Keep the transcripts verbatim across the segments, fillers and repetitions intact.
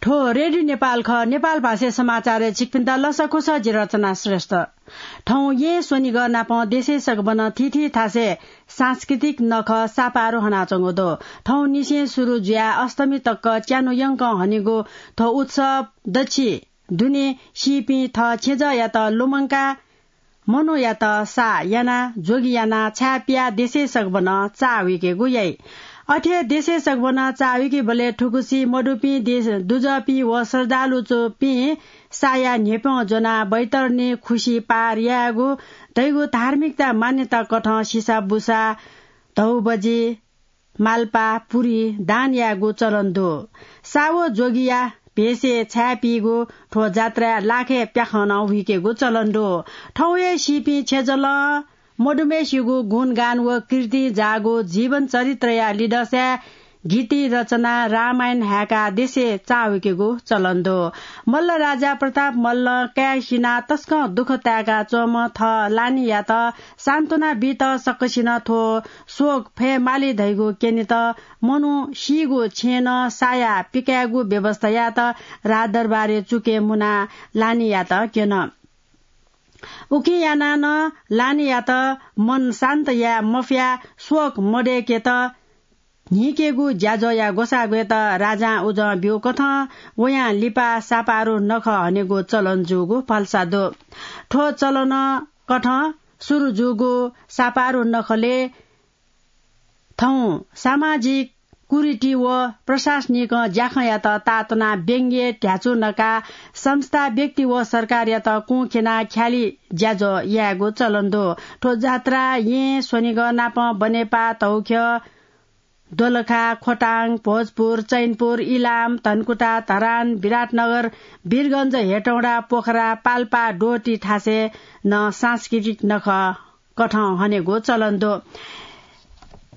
थ्व रेडियो नेपाल खः, नेपाल भाषाय् समाचारय् छिकपिन्त लसकुस, जि रचना श्रेष्ठ। थौं यें स्वनिगः नापं देशय् सकभनं थीथी थासय् सांस्कृतिक नखः सापारु हनाच्वंगु दु। थौं निसें सुरु जुयाः अष्टमी तक च्यान्हु यंकं हनेगु थ्व उत्सव दच्छि दुने सीपिं थः छेँजःयात लुमंकाः मनूयात साः यानाः जोगी यानाः छाय् पियाः देशय् सकभनं चाःहुइकेगु याइ। अथे देशय् सकभनं चाःहुइकेबलय् थुगुसी मदुपिं देश दुजःपिं व श्रद्धालुपिं साःया न्ह्यप्यं ज्वनाः बैतरणी खुसि पार यायेगु धइगु धार्मिकता मान्यता कथं सिसा बुसा, धौबजि, माल्पा, पुरी दान यायेगु चलन दु। साः व जोगीया भेषय् छाय् पीगु थ्व जात्राय् लाखय् प्याखं नं हुइकेगु चलन दु। थौं हे सीपिं छेँजलं मदुम्हय्‌सिगु गुणगान व कीर्ति जाःगु जीवन चरित्रया लिधंसाय् गीति रचना, रामायण हाय्‌काः देशय् चाःहुइकेगु चलन दु। मल्ल राजा प्रताप मल्लं काय् सिनाः तसकं दुःख ताय्‌का च्वंम्ह थः लानियात सान्त्वना बीत सकसिनं थ्व शोक फयेमाली धइगु क्यनेत मनू सीगु छेँनं साया पिकायेगु व्यवस्था यायेत राजदरबारय् चुकय् मुनाः लानियात क्यन। उकिं यानाः नं लानियात मन शान्त याये मफयाः शोक मदय्‌केत न्हीकेगु ज्याझ्वःया ग्वसाः ग्वयेत राजां उजं ब्यूकथं वयां लिपा सापारु नखः हनेगु चलन जूगु भलसा दु। थ्व चलन कथं सुरु जूगु सापारु नखलय् थौं सामाजिक कुरीति व प्रशासनिक ज्याखँयात ताःतुनाः व्यंग्य ध्याचु नकाः संस्था, व्यक्ति व सरकारयात कुंख्यनाः ख्यालि ज्याझ्वः यायेगु चलन दु। थ्व जात्रा यें स्वनिगः नापं बनेपा, तौख्य, दोलखा, खोटाङ, भोजपुर, चैनपुर, इलाम, धनकुटा, धरान, विराटनगर, वीरगंज, हेटौँडा, पोखरा, पाल्पा, डोटी थासय् नं सांस्कृतिक नखः कथं हनेगु चलन दु।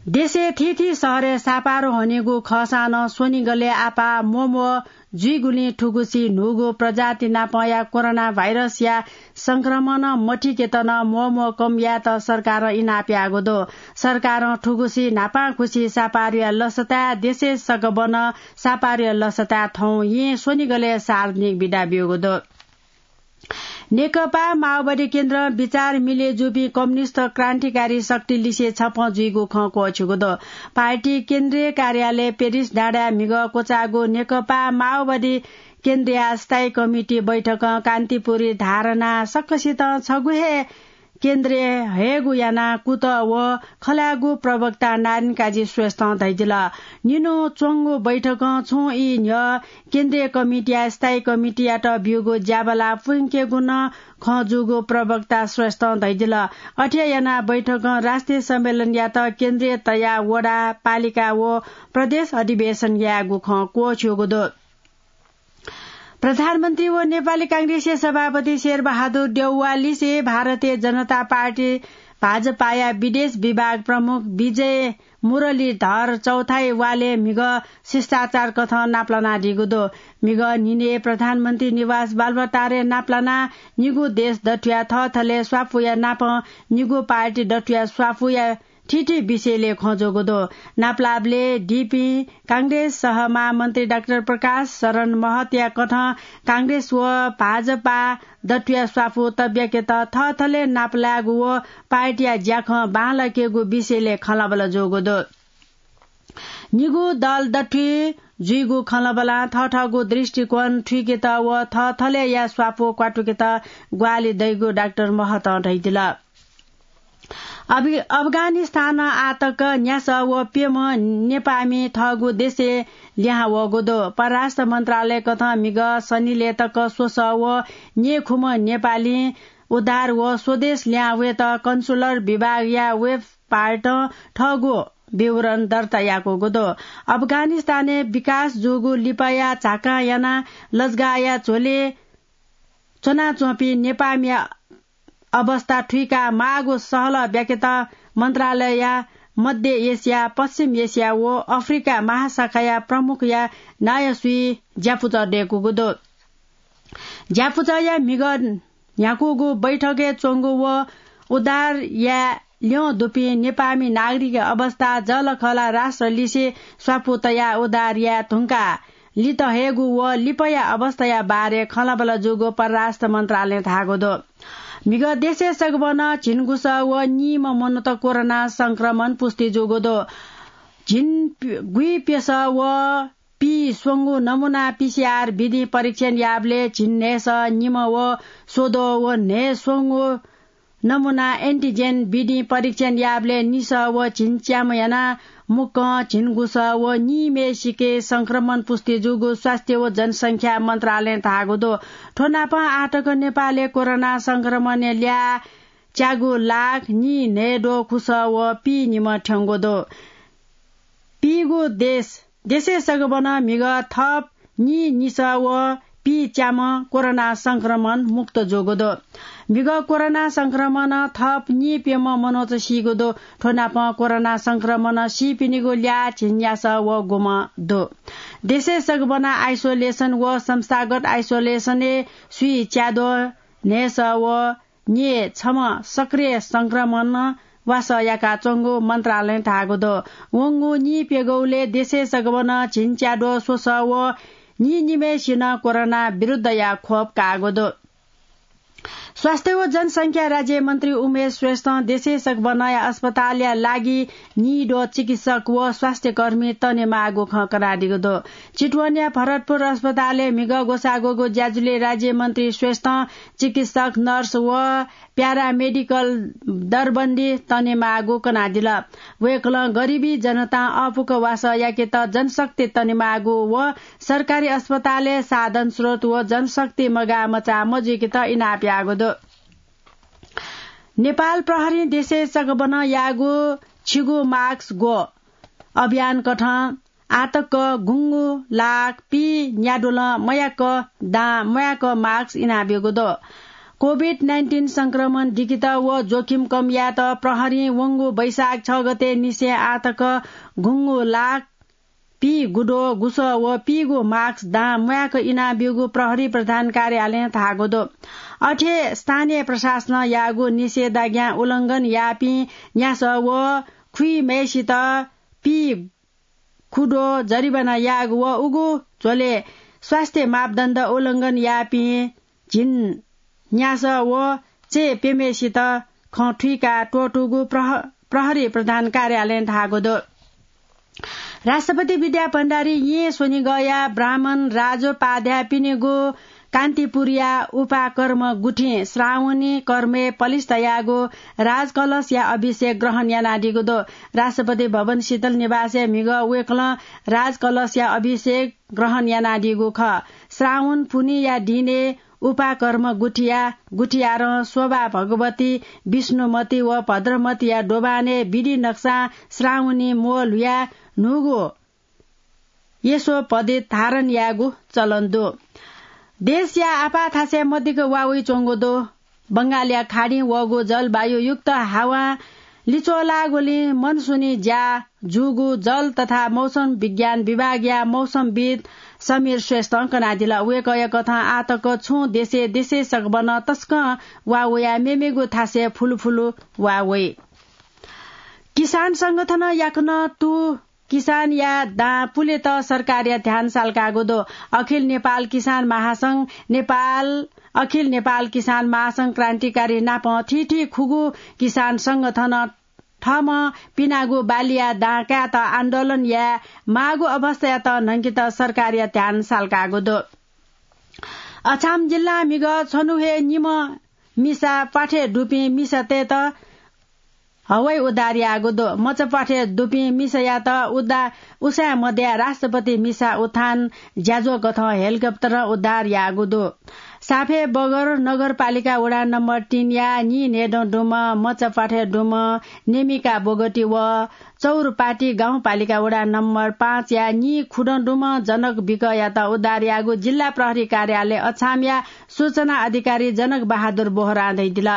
देशय् थीथी शहरय् सापारु हनेगु खःसां नं स्वनिगलय् आपाः म्वःम्वः जुइगुलिं थुगुसी न्हूगु प्रजाति नापंया कोरोना भाइरसया संक्रमण मथिकेत नं म्वःम्वः कम यायेत सरकारं इनाप याःगु दु। सरकारं थुगुसी न्हापांखुसी सापारुया लसताय् देशय् सकभनं सापारुया लसताय् थौं यें स्वनिगलय् सार्वजनिक बिदा ब्यूगु दु। नेकपा माओवादी केन्द्रं विचार मिले जूपिं कम्युनिस्ट क्रान्तिकारी शक्ति लिसे छप्पँ जुइगु खँ क्वःछ्यूगु दु। पार्टी केन्द्रीय कार्यालय पेरिस डाँडाय् म्हिगः क्वचाःगु नेकपा माओवादी केन्द्रीय स्थायी कमिटी बैठकं कान्तिपुरी धारणा सकसितं छगू हे केन्द्रय् हयेगु यानाः कुतः व खलःयागु प्रवक्ता नारायण काजी श्रेष्ठं धयादिल। निन्हु च्वंगु बैठकं छुं ई न्ह्यः केन्द्रीय कमिटीया स्थायी कमिटीयात ब्यूगु ज्याबला पुंकेगु नं खँ जूगु प्रवक्ता श्रेष्ठं धयादिल। अथे यानाः बैठकं राष्ट्रिय सम्मेलनयात केन्द्रीय तयाः वडा, पालिका व प्रदेश अधिवेशन यायेगु खँ क्वःछ्यूगु दु। प्रधानमन्त्री व नेपाली कांग्रेसया सभापति शेरबहादुर देउवा लिसे भारतीय जनता पार्टी भाजपाया विदेश विभाग प्रमुख विजय मुरलीधर चौथाय् वालय् म्हिगः शिष्टाचार कथं नापलानादीगु दु। म्हिगः न्हिनय् प्रधानमन्त्री निवास बालुवाटारय् नापलानाः निगू देश दथुया थःथलय् स्वापूया नापं निगू पार्टी दथुया स्वापूया थीथी विषयलय् खँ जूगु दु। नापलाःबलय् दीपिं कांग्रेस सह महामन्त्री डाक्टर प्रकाश शरण महतया कथं कांग्रेस व भाजपा दथुया स्वापू तब्याकेत थःथलय् नापलायेगु व पार्टीया ज्याखँ बांलाकेगु विषयलय् खँल्हाबल्हा जूगु दु। निगू दल दथुइ जुइगु खँल्हाबल्हां थःथःगु दृष्टिकोण थुइकेत व थःथलय्‌या स्वापू क्वातुकेत ग्वाहालि दइगु डाक्टर महतं धयादिल। अफि-, अफगानिस्तानं आःतक न्यासः व प्यम्ह नेपाःमि थःगु देशय् लिहां वःगु दु। परराष्ट्र मन्त्रालय कथं म्हिगः शनिलय् तक स्वसः व न्येखुम्ह नेपालीं उद्धार व स्वदेश लिहां वयेत कन्सुलर विभागया वेबपार्टं थःगु विवरण दर्ता याकूगु दु। अफगानिस्तानय् विकास जूगु लिपाया झाकां यानाः लजगाःया झ्वलय् च्वनाच्वंपिं नेपाःमिया अवस्था थुइका माःगु सहलह ब्याकेत मन्त्रालयया मध्य एसिया, पश्चिम एसिया व अफ्रिका महाशाखाया प्रमुखया नायःसुइ ज्यापुचः दय्‌कूगु दु। ज्यापुचःया म्हिगः न्ह्याकूगु बैठकय् च्वंगु व उद्धार याये ल्यं दुपिं नेपाःमि नागरिकया अवस्था जःलाखःला राष्ट्र लिसे स्वापू तयाः उद्धार याये धुंकाः लित हयेगु व लिपाया अवस्थाया बारे खँल्हाबल्हा जूगु परराष्ट्र मन्त्रालयं धाःगु दु। म्हिगः देशय् सगबनं झिंगुसः व नीम्ह मनूत कोरोना संक्रमण पुष्टि जूगु दु। झिंगुइप्यसः व पीस्वंगू नमूना पीसीआर विधिं परीक्षण याःबलय् झिंन्हय्सः निम्ह व स्वद्वः व न्हय्स्वंगू नमूना एन्टिजेन विधिं परीक्षण याःबलय् निसः व झिंच्याम्ह यानाः मुक्कं झिंगुसः व नीम्हय्सिके संक्रमण पुष्टि जूगु स्वास्थ्य व जनसंख्या मन्त्रालयं धाःगु दु। थ्व नापं आःतक नेपालय् कोरोना संक्रमणया ल्याः च्यागू लाख नीन्हय्द्वखुसः व पीनिम्ह थ्यंगु दु। पीगू देश देशय् सगबनं म्हिगः थप नीनिसः व पीच्याम्ह कोरोना संक्रमण मुक्त जूगु दु। म्हिगः कोरोना संक्रमणं थप नीप्यम्ह मनूत सीगु दु। थ्व नापं कोरोना संक्रमणं सीपिनिगु ल्याः झिंन्यासः व गुम्ह दु। देशय् सगबनं आइसोलेसन व संस्थागत आइसोलेसनय् स्वीच्याद्वः न्हय्सः व न्येछम्ह सक्रिय संक्रमणं वासः याकाच्वंगु मन्त्रालयं धाःगु दु। वंगु नीप्यघौलय् देशय् सगबनं झिंच्याद्वः स्वसः व नीनिम्हय्सिनं कोरोना विरुद्धया खोप काःगु दु। स्वास्थ्य व जनसंख्या राज्यमन्त्री उमेश श्रेष्ठं देशय् सगबनया अस्पतालया लागि नीद्वः चिकित्सक व स्वास्थ्यकर्मी तनेमाःगु खँ कनादीगु दु। चितवनया भरतपुर अस्पतालय् म्हिगः ग्वसाः ग्वःगु ज्याझ्वलय् राज्यमन्त्री श्रेष्ठं चिकित्सक, नर्स व प्यारामेडिकल दरबन्दी तनेमाःगु कनादिल। वय्कलं गरिबी जनतां अःपुक वासः याकेत जनशक्ति तनेमाःगु व सरकारी अस्पतालय् साधन स्रोत व जनशक्ति मगाःमचाः मजुइकेत इनाप याःगु दु। नेपाल प्रहरीं देशय् सगबनं याःगु छिगु मास्क ग्व अभियानकथं आःतक गुंगू लाख पीन्याद्वलं मयाक दां म्वाय्क मास्क इनाब्यूगु दु। कोभिड नाइन्टिन संक्रमण दिकेत व जोखिम कम यायेत प्रहरीं वंगु वैशाख छ गते निसें आःतक गुंगू लाख पीगुद्वः गुसः व पीगू मास्क दां म्वाय्क इनाब्यूगु प्रहरी प्रधान कार्यालयं धाःगु दु। अथे स्थानीय प्रशासनं याःगु निषेधाज्ञा उल्लंघन याःपिं न्यासः व खुइम्हय्सित पीगुद्वः जरिवाना याःगु व उगु झ्वलय् स्वास्थ्य मापदण्ड उल्लंघन याःपिं झिंन्यासः व चय्प्यम्हय्सित खँ थुइका त्वःतूगु प्रह-, प्रहरी प्रधान कार्यालयं धाःगु दु। राष्ट्रपति विद्या भण्डारी येँ स्वनिगःया ब्राह्मण राजोपाध्यायपिनिगु कान्तिपुरया उपाकर्म गुथिं श्रावणी कर्मय् पलिस्था याःगु राजकलशया अभिषेक ग्रहण यानादीगु दु। राष्ट्रपति भवन शीतल निवासय् म्हिगः वय्कलं राजकलशया अभिषेक ग्रहण यानादीगु खः। श्रावण पुन्हिया दिनय् उपाकर्म गुथिया, गुथियारं शोभा भगवती, विष्णुमती व भद्रमतीया दोभानय् विधि नक्सां श्रावणी म्वः ल्हुयाः न्हूगु यशोपदेश धारण यायेगु चलन दु। देशया आपाः थासय् मदिक्क वा वइच्वंगु दु। बंगालया खाडिं वःगु जलवायुयुक्त हावां लिच्वलाःगुलिं मनसुनी ज्या जूगु जल तथा मौसम विज्ञान विभागया मौसमविद् समीर श्रेष्ठं कनादिल। वय्कःया कथं आःतक छुं देशय् देशय् सकभनं तसकं वा वयाः मेमेगु थासय् फुलुफुलु वा वइ। किसान संगठनं याकनं तू किसानया दां पुलेत सरकारया ध्यान सालकाःगु दु। अखिल नेपाल किसान महासंघ, नेपाल, अखिल नेपाल किसान महासंघ क्रान्तिकारी नापं थीथी खुगू किसान संगठनं थःम्हं पिनागु बालीया दां कायेत आन्दोलन याये माःगु अवस्थायात न्हंकेत सरकारया ध्यान सालकाःगु दु। अछाम जिल्लां म्हिगः छन्हु हे निम्ह मिसा प्वाथय् दुपिं मिसातय्त हवाई उद्धार याःगु दु। मचा प्वाथय् दुपिं मिसायात उद्धार उसाँय् मदयाः राष्ट्रपति मिसा उत्थान ज्याझ्वः कथं हेलिकप्टरं उद्धार याःगु दु। साफे बगर नगरपालिका वडा नम्बर तीनया नीन्हय्दँ दुम्ह मचा प्वाथय् दुम्ह नेमिका बोगटी व चौरपाटी गाउँपालिका वडा नम्बर पाँचया नीखुदँ दुम्ह जनक विकयात उद्धार याःगु जिल्ला प्रहरी कार्यालय अछामया सूचना अधिकारी जनक बहादुर बोहरां धयादिल।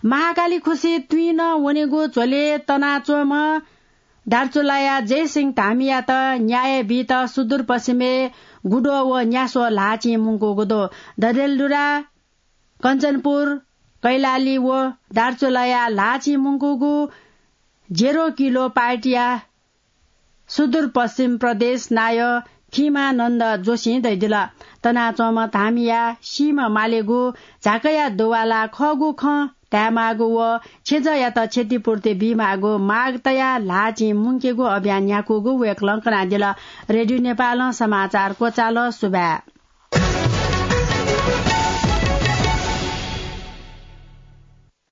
महाकाली खुसी तुइनं वनेगु झ्वलय् तनाच्वंम्ह दार्चुलाया जयसिंह धामीयात न्याय बीत सुदूरपश्चिमय् गुद्वः व न्यास्वः ल्हाःचिं मुंकूगु दु। डडेलधुरा, कञ्चनपुर, कैलाली व दार्चुलाया ल्हाःचिं मुंकूगु जेरो किलो पार्टीया सुदूरपश्चिम प्रदेश नायः सीमानन्द जोशीं धयादिल। तनाच्वंम्ह धामीया सीम्ह मालेगु झाकाया दुवाला खःगु खँ धायेमाःगु व छेँजःयात क्षतिपूर्ति बीमाःगु माग तयाः ल्हाःचिं मुंकेगु अभियान न्ह्याकूगु वय्कलं कनादिल। रेडियो नेपालं समाचार क्वचाल। सुभाय्।